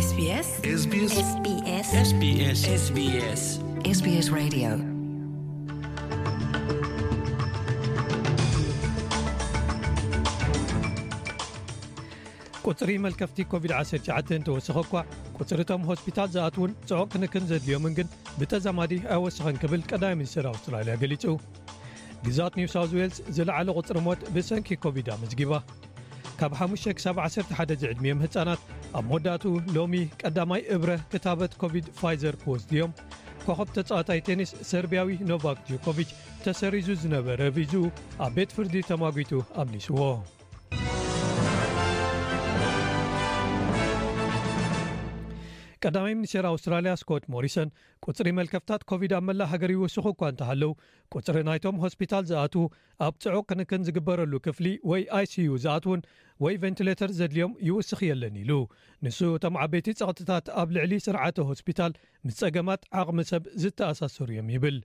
SBS SBS SBS SBS SBS Radio. ቁጽሪ መልከፍቲ ኮቪድ ዓሰርተ ትሽዓተ እንተወሰኸ እኳ፣ ቁጽሪ እቶም ሆስፒታል ዝኣትውን ጽዑቕ ክንክን ዘድልዮምን ግን ብተዛማዲ ኣይወሰኸን ክብል ቀዳማይ ሚኒስትር ኣውስትራልያ ገሊጹ። ግዛት ኒው ሳውዝ ዌልስ ዝለዓለ ቁጽሪ ሞት ብሰንኪ ኮቪድ ኣመዝጊባ። ካብ ሓሙሽተ ክሳብ ዓሰርተ ሓደ ዝዕድሚኦም ህጻናት ኣብ መወዳእትኡ ሎሚ ቀዳማይ እብረ ክታበት ኮቪድ ፋይዘር ክወስዱ እዮም። ኮኸብ ተጻዋታይ ቴኒስ ሰርቢያዊ ኖቫክ ጆኮቪች ተሰሪዙ ዝነበረ ቪዝኡ ኣብ ቤት ፍርዲ ተማጒቱ ኣምሊስዎ። ቀዳማይ ሚኒስትር ኣውስትራልያ ስኮት ሞሪሰን ቁጽሪ መልከፍታት ኮቪድ ኣብ መላእ ሃገር ይውስኹ እኳ እንተሃለው፣ ቁጽሪ ናይቶም ሆስፒታል ዝኣትዉ፣ ኣብ ጽዑቕ ክንክን ዝግበረሉ ክፍሊ ወይ ኣይ ሲ ዩ ዝኣትዉን ወይ ቬንቲሌተር ዘድልዮም ይውስኽ የለን ኢሉ። ንሱ እቶም ዓበይቲ ጸቕጥታት ኣብ ልዕሊ ስርዓተ ሆስፒታል ምስ ጸገማት ዓቕሚ ሰብ ዝተኣሳሰሩ እዮም ይብል።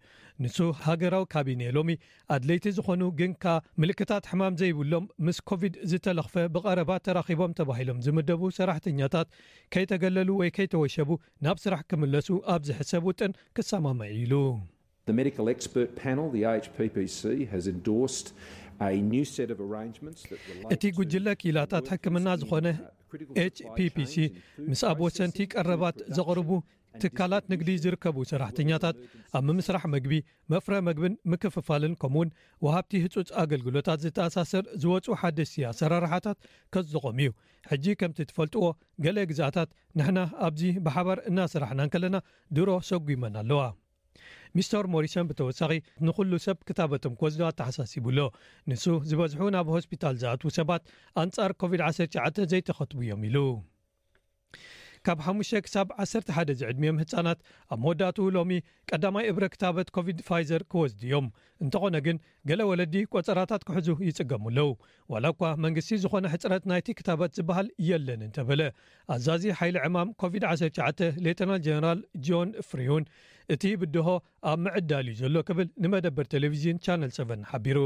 ንሱ ሃገራዊ ካቢኔ ሎሚ ኣድለይቲ ዝኾኑ ግን ከኣ ምልክታት ሕማም ዘይብሎም ምስ ኮቪድ ዝተለኽፈ ብቐረባ ተራኺቦም ተባሂሎም ዝምደቡ ሰራሕተኛታት ከይተገለሉ ወይ ከይተወሸቡ ናብ ስራሕ ክምለሱ ኣብ ዝሕሰብ ውጥን ክሰማማዕ ኢሉ። The medical expert panel, the A H P P C, has endorsed a new set of arrangements that relate እቲ to ጉጅለ ክኢላታት ሕክምና ዝኾነ ኤች ፒ ፒ ሲ ምስ ኣብ ወሰንቲ ቀረባት ዘቕርቡ ትካላት ንግዲ ዝርከቡ ሰራሕተኛታት ኣብ ምምስራሕ መግቢ፣ መፍረ መግብን ምክፍፋልን ከምኡውን ወሃብቲ ህጹጽ ኣገልግሎታት ዝተኣሳሰር ዝወጹ ሓደስቲ ኣሰራርሓታት ከዝቖም እዩ። ሕጂ ከምቲ ትፈልጥዎ፣ ገለ ግዝኣታት ንሕና ኣብዚ ብሓባር እናሰራሕና እንከለና ድሮ ሰጒመን ኣለዋ። ሚስተር ሞሪሰን ብተወሳኺ ንኹሉ ሰብ ክታበቶም ክወስዱ ኣተሓሳሲቡ ኣሎ። ንሱ ዝበዝሑ ናብ ሆስፒታል ዝኣትዉ ሰባት ኣንጻር ኮቪድ ዓሰርተ ትሽዓተ ዘይተኸትቡ እዮም ኢሉ። ካብ ሓሙሽተ ክሳብ ዓሰርተ ሓደ ዝዕድሚኦም ህጻናት ኣብ መወዳእትኡ ሎሚ ቀዳማይ እብረ ክታበት ኮቪድ ፋይዘር ክወስዱ እዮም። እንተኾነ ግን ገለ ወለዲ ቆጸራታት ክሕዙ ይጽገሙ ኣለዉ። ዋላ እኳ መንግስቲ ዝኾነ ሕጽረት ናይቲ ክታበት ዝበሃል የለን እንተበለ፣ ኣዛዚ ሓይሊ ዕማም ኮቪድ ዓሰርተ ትሽዓተ ሌተናል ጀነራል ጆን ፍሪውን እቲ ብድሆ ኣብ ምዕዳል እዩ ዘሎ ክብል ንመደበር ቴሌቪዥን ቻነል ሰቨን ሓቢሩ።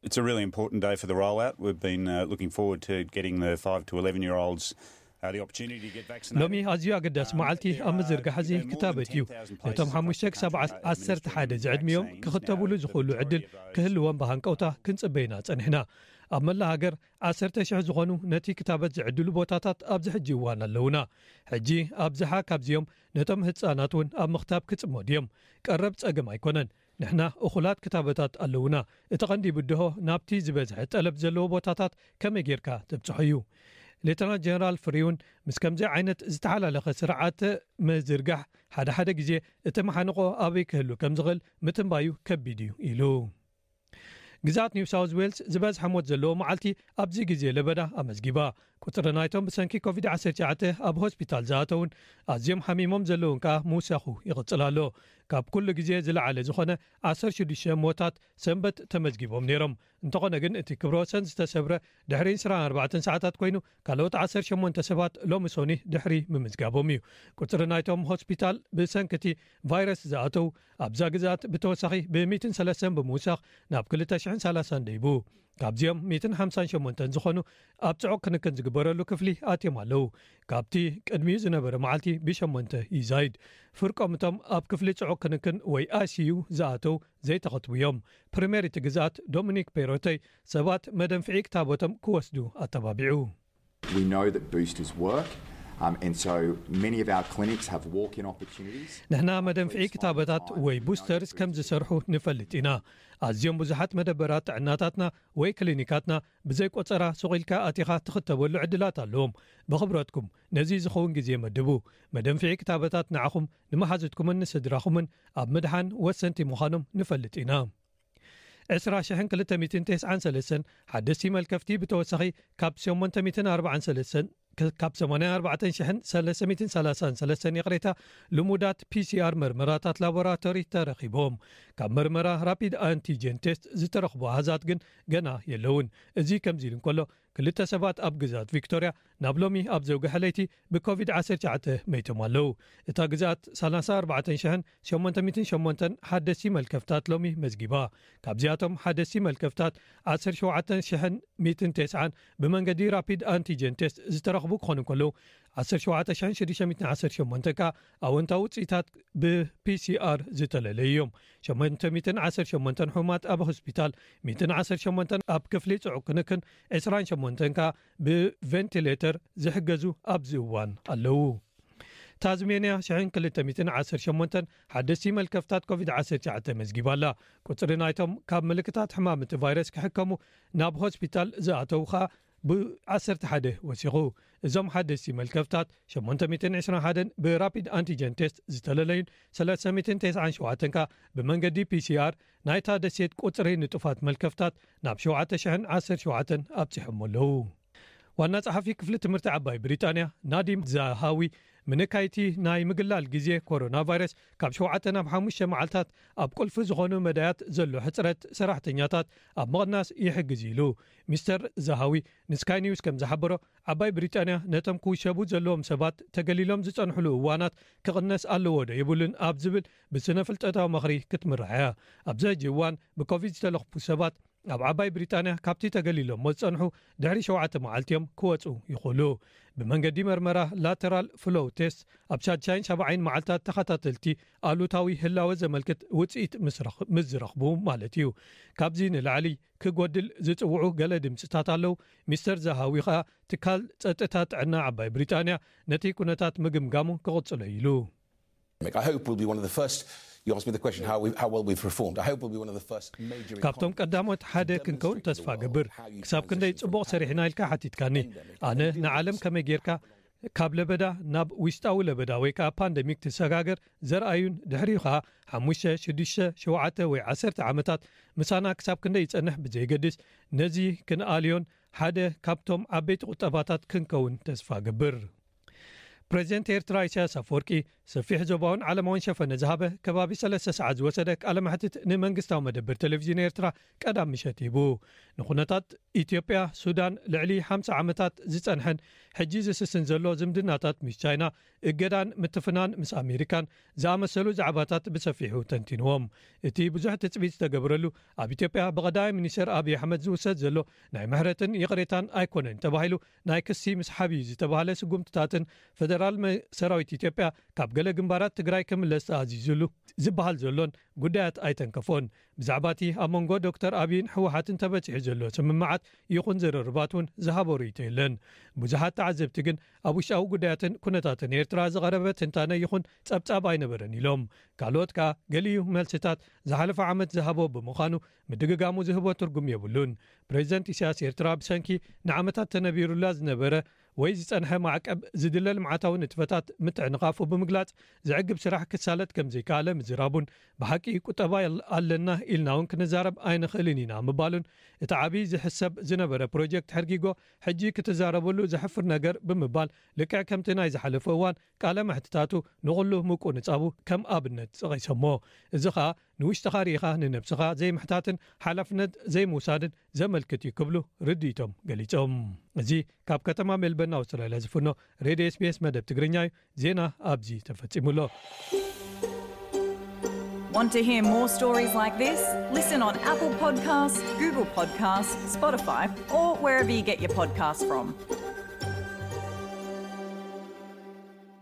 It's a really important day for the rollout. We've been uh, looking forward to getting the five to eleven year olds uh, the opportunity to get vaccinated. ሎሚ ኣዝዩ ኣገዳሲ መዓልቲ ኣብ ምዝርጋሕ እዚ ክታበት እዩ። ነቶም ሓሙሽተ ክሳብ ዓሰርተ ሓደ ዝዕድሚኦም ክኽተብሉ ዝኽእሉ ዕድል ክህልዎም ብሃንቀውታ ክንጽበይና ጸኒሕና። ኣብ መላእ ሃገር ዓሰርተ ሽሕ ዝኾኑ ነቲ ክታበት ዝዕድሉ ቦታታት ኣብዚ ሕጂ እዋን ኣለዉና። ሕጂ ኣብዝሓ ካብዚኦም ነቶም ህጻናት እውን ኣብ ምኽታብ ክጽመዱ እዮም። ቀረብ ጸገም ኣይኮነን። ንሕና እኹላት ክታበታት ኣለዉና። እቲ ቀንዲ ብድሆ ናብቲ ዝበዝሐ ጠለብ ዘለዎ ቦታታት ከመይ ጌርካ ተብጽሖ እዩ። ሌተናል ጀነራል ፍሪውን ምስ ከምዚ ዓይነት ዝተሓላለኸ ስርዓተ ምዝርጋሕ ሓደ ሓደ ግዜ እቲ መሓንቆ ኣበይ ክህሉ ከም ዝኽእል ምትንባዩ ከቢድ እዩ ኢሉ። ግዛት ኒው ሳውዝ ዌልስ ዝበዝሐ ሞት ዘለዎ መዓልቲ ኣብዚ ግዜ ለበዳ ኣመዝጊባ። ቁጽሪ ናይቶም ብሰንኪ ኮቪድ ዓሰርተ ትሽዓተ ኣብ ሆስፒታል ዝኣተውን ኣዝዮም ሓሚሞም ዘለውን ከኣ ምውሳኹ ይቕጽል ኣሎ። ካብ ኩሉ ግዜ ዝለዓለ ዝኾነ ዓሰርተ ሽዱሽተ ሞታት ሰንበት ተመዝጊቦም ነይሮም። እንተኾነ ግን እቲ ክብረ ወሰን ዝተሰብረ ድሕሪ ዕስራን ኣርባዕተን ሰዓታት ኮይኑ፣ ካልኦት ዓሰርተ ሸሞንተ ሰባት ሎሚ ሶኒ ድሕሪ ምምዝጋቦም እዩ። ቁጽሪ ናይቶም ሆስፒታል ብሰንኪ እቲ ቫይረስ ዝኣተው ኣብዛ ግዝኣት ብተወሳኺ ብ ሚእትን ሰለስተን ብምውሳኽ ናብ ክልተ ሽሕን ሰላሳን ደይቡ። ካብዚኦም ሚእትን ሓምሳን ሸሞንተን ዝኾኑ ኣብ ጽዑቕ ክንክን ዝግበረሉ ክፍሊ ኣትዮም ኣለዉ። ካብቲ ቅድሚኡ ዝነበረ መዓልቲ ብሸሞንተ ይዛይድ። ፍርቆም እቶም ኣብ ክፍሊ ጽዑቕ ክንክን ወይ ኣይ ሲ ዩ ዝኣተው ዘይተኸትቡ እዮም። ፕሪምየር እቲ ግዝኣት ዶሚኒክ ፔሮቴ ሰባት መደንፍዒ ክታበቶም ክወስዱ ኣተባቢዑ። We know that boosters work, um, and so many of our clinics have walk-in opportunities. ንሕና መደንፍዒ ክታበታት ወይ ቡስተርስ ከም ዝሰርሑ ንፈልጥ ኢና። ኣዝዮም ብዙሓት መደበራት ጥዕናታትና ወይ ክሊኒካትና ብዘይ ቆጸራ ሱቕ ኢልካ ኣቲኻ ትኽተበሉ ዕድላት ኣለዎም። ብኽብረትኩም ነዚ ዝኸውን ግዜ መድቡ። መደንፍዒ ክታበታት ንዓኹም፣ ንመሓዙትኩምን ንስድራኹምን ኣብ ምድሓን ወሰንቲ ምዃኖም ንፈልጥ ኢና። ዕስራ ሽሕን ክልተ ሚእትን ተስዓን ሰለስተን ሓደስቲ መልከፍቲ ብተወሳኺ ካብ ሸሞንተ ሚእትን ኣርባዓን ሰለስተን ካብ ሰማንያን ኣርባዕተን ሽሕን ሰለስተ ሚእትን ሰላሳን ሰለስተን ይቕሬታ፣ ልሙዳት ፒ ሲ ኣር መርመራታት ላቦራቶሪ ተረኺቦም። ካብ መርመራ ራፒድ ኣንቲጀን ቴስት ዝተረኽቡ ኣሃዛት ግን ገና የለውን። እዚ ከምዚ ኢሉ እንከሎ፣ ክልተ ሰባት ኣብ ግዝኣት ቪክቶርያ ናብ ሎሚ ኣብ ዘውግሐ ለይቲ ብኮቪድ ዓሰርተ ትሽዓተ መይቶም ኣለዉ። እታ ግዝኣት ሰላሳ ኣርባዕተን ሽሕን ሸሞንተ ሚእትን ሸሞንተን ሓደስቲ መልከፍታት ሎሚ መዝጊባ። ካብዚኣቶም ሓደስቲ መልከፍታት ዓሰርተ ሸውዓተ ሽሕን ሚእትን ተስዓን ብመንገዲ ራፒድ ኣንቲጀን ቴስት ዝተረኽቡ ክኾኑ እንከለዉ፣ ዓሰርተ ሸውዓተ ሽሕን ሽዱሽተ ሚእትን ዓሰርተ ሸሞንተን ከኣ ኣወንታዊ ውፅኢታት ብ ፒ ሲ ኣር ዝተለለዩ እዮም። ሸሞንተ ሚእትን ዓሰርተ ሸሞንተን ሕሙማት ኣብ ሆስፒታል፣ ሚእትን ዓሰርተ ሸሞንተን ኣብ ክፍሊ ጽዑቕ ክንክን፣ ዕስራን ሸሞንተን ከኣ ብቬንቲሌተር ዝሕገዙ ኣብዚ እዋን ኣለዉ። ታዝሜንያ ሽሕን ክልተ ሚእትን ዓሰርተ ሸሞንተን ሓደስቲ መልከፍታት ኮቪድ ዓሰርተ ትሽዓተ መዝጊባ ኣላ። ቁጽሪ ናይቶም ካብ ምልክታት ሕማም እቲ ቫይረስ ክሕከሙ ናብ ሆስፒታል ዝኣተዉ ከኣ ብ ዓሰርተ ሓደ ወሲኹ። እዞም ሓደስቲ መልከፍታት ሸሞንተ ሚእትን ዕስራን ሓደን ብራፒድ ኣንቲጀን ቴስት ዝተለለዩን ሰለስተ ሚእትን ተስዓን ሸውዓተን ከኣ ብመንገዲ ፒ ሲ ኣር ናይታ ደሴት ቁጽሪ ንጡፋት መልከፍታት ናብ ሸውዓተ ሽሕን ዓሰርተ ሸውዓተን ኣብጺሖም ኣለዉ። ዋና ጸሓፊ ክፍሊ ትምህርቲ ዓባይ ብሪጣንያ ናዲም ዛሃዊ፣ ምንካይቲ ናይ ምግላል ግዜ ኮሮና ቫይረስ ካብ ሸውዓተ ናብ ሓሙሽተ መዓልታት ኣብ ቁልፊ ዝኾኑ መዳያት ዘሎ ሕጽረት ሰራሕተኛታት ኣብ ምቕናስ ይሕግዝ ኢሉ። ሚስተር ዛሃዊ ንስካይ ኒውስ ከም ዝሓበሮ፣ ዓባይ ብሪጣንያ ነቶም ክውሸቡ ዘለዎም ሰባት ተገሊሎም ዝጸንሕሉ እዋናት ክቕነስ ኣለዎ ዶ የብሉን ኣብ ዝብል ብስነ ፍልጠታዊ ምኽሪ ክትምራሕ እያ። ኣብዚ ሕጂ እዋን ብኮቪድ ዝተለኽፉ ሰባት ኣብ ዓባይ ብሪጣንያ ካብቲ ተገሊሎሞ ዝጸንሑ ድሕሪ ሸውዓተ መዓልቲ እዮም ክወጹ ይኽእሉ። ብመንገዲ መርመራ ላተራል ፍሎው ቴስት ኣብ ሻድሻይን ሻብዓይን መዓልታት ተኸታተልቲ ኣሉታዊ ህላወ ዘመልክት ውጽኢት ምስ ረኽ-፣ ምስ ዝረኽቡ ማለት እዩ። ካብዚ ንላዕሊ ክጎድል ዝጽውዑ ገለ ድምጽታት ኣለዉ። ሚስተር ዛሃዊ ኸኣ ትካል ጸጥታ ጥዕና ዓባይ ብሪጣንያ ነቲ ኩነታት ምግምጋሙ ክቕጽሎ ኢሉ። I hope we'll be one of the first. You asked me the question how, we, how well we've performed. I hope we'll be one of the first major ካብቶም ቀዳሞት ሓደ ክንከውን ተስፋ ገብር። ክሳብ ክንደይ ጽቡቕ ሰሪሕና ኢልካ ሓቲትካኒ። ኣነ ንዓለም ከመይ ጌርካ ካብ ለበዳ ናብ ውሽጣዊ ለበዳ ወይ ከዓ ፓንደሚክ ትሰጋገር ዘርኣዩን ድሕሪኡ ከዓ ሓሙሽተ ሽዱሽተ ሸውዓተ ወይ ዓሰርተ ዓመታት ምሳና ክሳብ ክንደይ ይጸንሕ ብዘይገድስ ነዚ ክንኣልዮን ሓደ ካብቶም ዓበይቲ ቁጠባታት ክንከውን ተስፋ ገብር። ፕሬዚደንት ኤርትራ ኢሳያስ ኣፈወርቂ ሰፊሕ ዞባውን ዓለማውን ሸፈነ ዝሃበ ከባቢ ሰለስተ ሰዓት ዝወሰደ ቃለ መሕትት ንመንግስታዊ መደብር ቴሌቪዥን ኤርትራ ቀዳም ምሸት ሂቡ። ንኩነታት ኢትዮጵያ፣ ሱዳን፣ ልዕሊ ሓምሳ ዓመታት ዝጸንሐን ሕጂ ዝስስን ዘሎ ዝምድናታት ምስ ቻይና፣ እገዳን ምትፍናን ምስ ኣሜሪካን ዝኣመሰሉ ዛዕባታት ብሰፊሑ ተንቲንዎም። እቲ ብዙሕ ትጽቢት ዝተገብረሉ ኣብ ኢትዮጵያ ብቐዳማይ ሚኒስተር ኣብይ ኣሕመድ ዝውሰድ ዘሎ ናይ ምሕረትን ይቕሬታን ኣይኮነን ተባሂሉ ናይ ክሲ ምስሓብ እዩ ዝተባህለ ስጉምትታትን ፈደራል መ-፣ ሰራዊት ኢትዮጵያ ካብ ገለ ግንባራት ትግራይ ክምለስ ተኣዚዙሉ ዝበሃል ዘሎን ጉዳያት ኣይተንከፎን። ብዛዕባ እቲ ኣብ መንጎ ዶክተር ኣብይን ህወሓትን ተበጺሑ ዘሎ ስምምዓት ይኹን ዝርርባት እውን ዝሃቦ ርእይቶ የለን። ብዙሓት ተዓዘብቲ ግን ኣብ ውሽጣዊ ጉዳያትን ኩነታትን ኤርትራ ዝቐረበ ትንታነ ይኹን ጸብጻብ ኣይነበረን ኢሎም። ካልኦት ከኣ ገሊኡ መልስታት ዝሓለፈ ዓመት ዝሃቦ ብምዃኑ ምድግጋሙ ዝህቦ ትርጉም የብሉን። ፕሬዚደንት ኢሳያስ ኤርትራ ብሰንኪ ንዓመታት ተነቢሩላ ዝነበረ ወይ ዝጸንሐ ማዕቀብ ዝድለ ልምዓታዊ ንጥፈታት ምትዕንቓፉ ብምግላጽ ዘዕግብ ስራሕ ክሳለጥ ከም ዘይከኣለ ምዝራቡን ብሓቂ ቁጠባ ኣል-፣ ኣለና ኢልና እውን ክንዛረብ ኣይንኽእልን ኢና ምባሉን እቲ ዓብዪ ዝሕሰብ ዝነበረ ፕሮጀክት ሕርጊጎ ሕጂ ክትዛረበሉ ዘሕፍር ነገር ብምባል ልክዕ ከምቲ ናይ ዝሓለፈ እዋን ቃለ መሕትታቱ ንኹሉ ምቁንጻቡ ከም ኣብነት ጸቒሶሞ። እዚ ኸኣ ንውሽጥኻ ርኢኻ ንነብስኻ ዘይምሕታትን ሓላፍነት ዘይምውሳድን ዘመልክት እዩ ክብሉ ርድኢቶም ገሊጾም። እዚ ካብ ከተማ ሜልበርን ኣውስትራልያ ዝፍኖ ሬድዮ ኤስ ቢ ኤስ መደብ ትግርኛ እዩ። ዜና ኣብዚ ተፈጺሙ ኣሎ። Want to hear more stories like this? Listen on Apple Podcasts, Google Podcasts, Spotify, or wherever you get your podcasts from.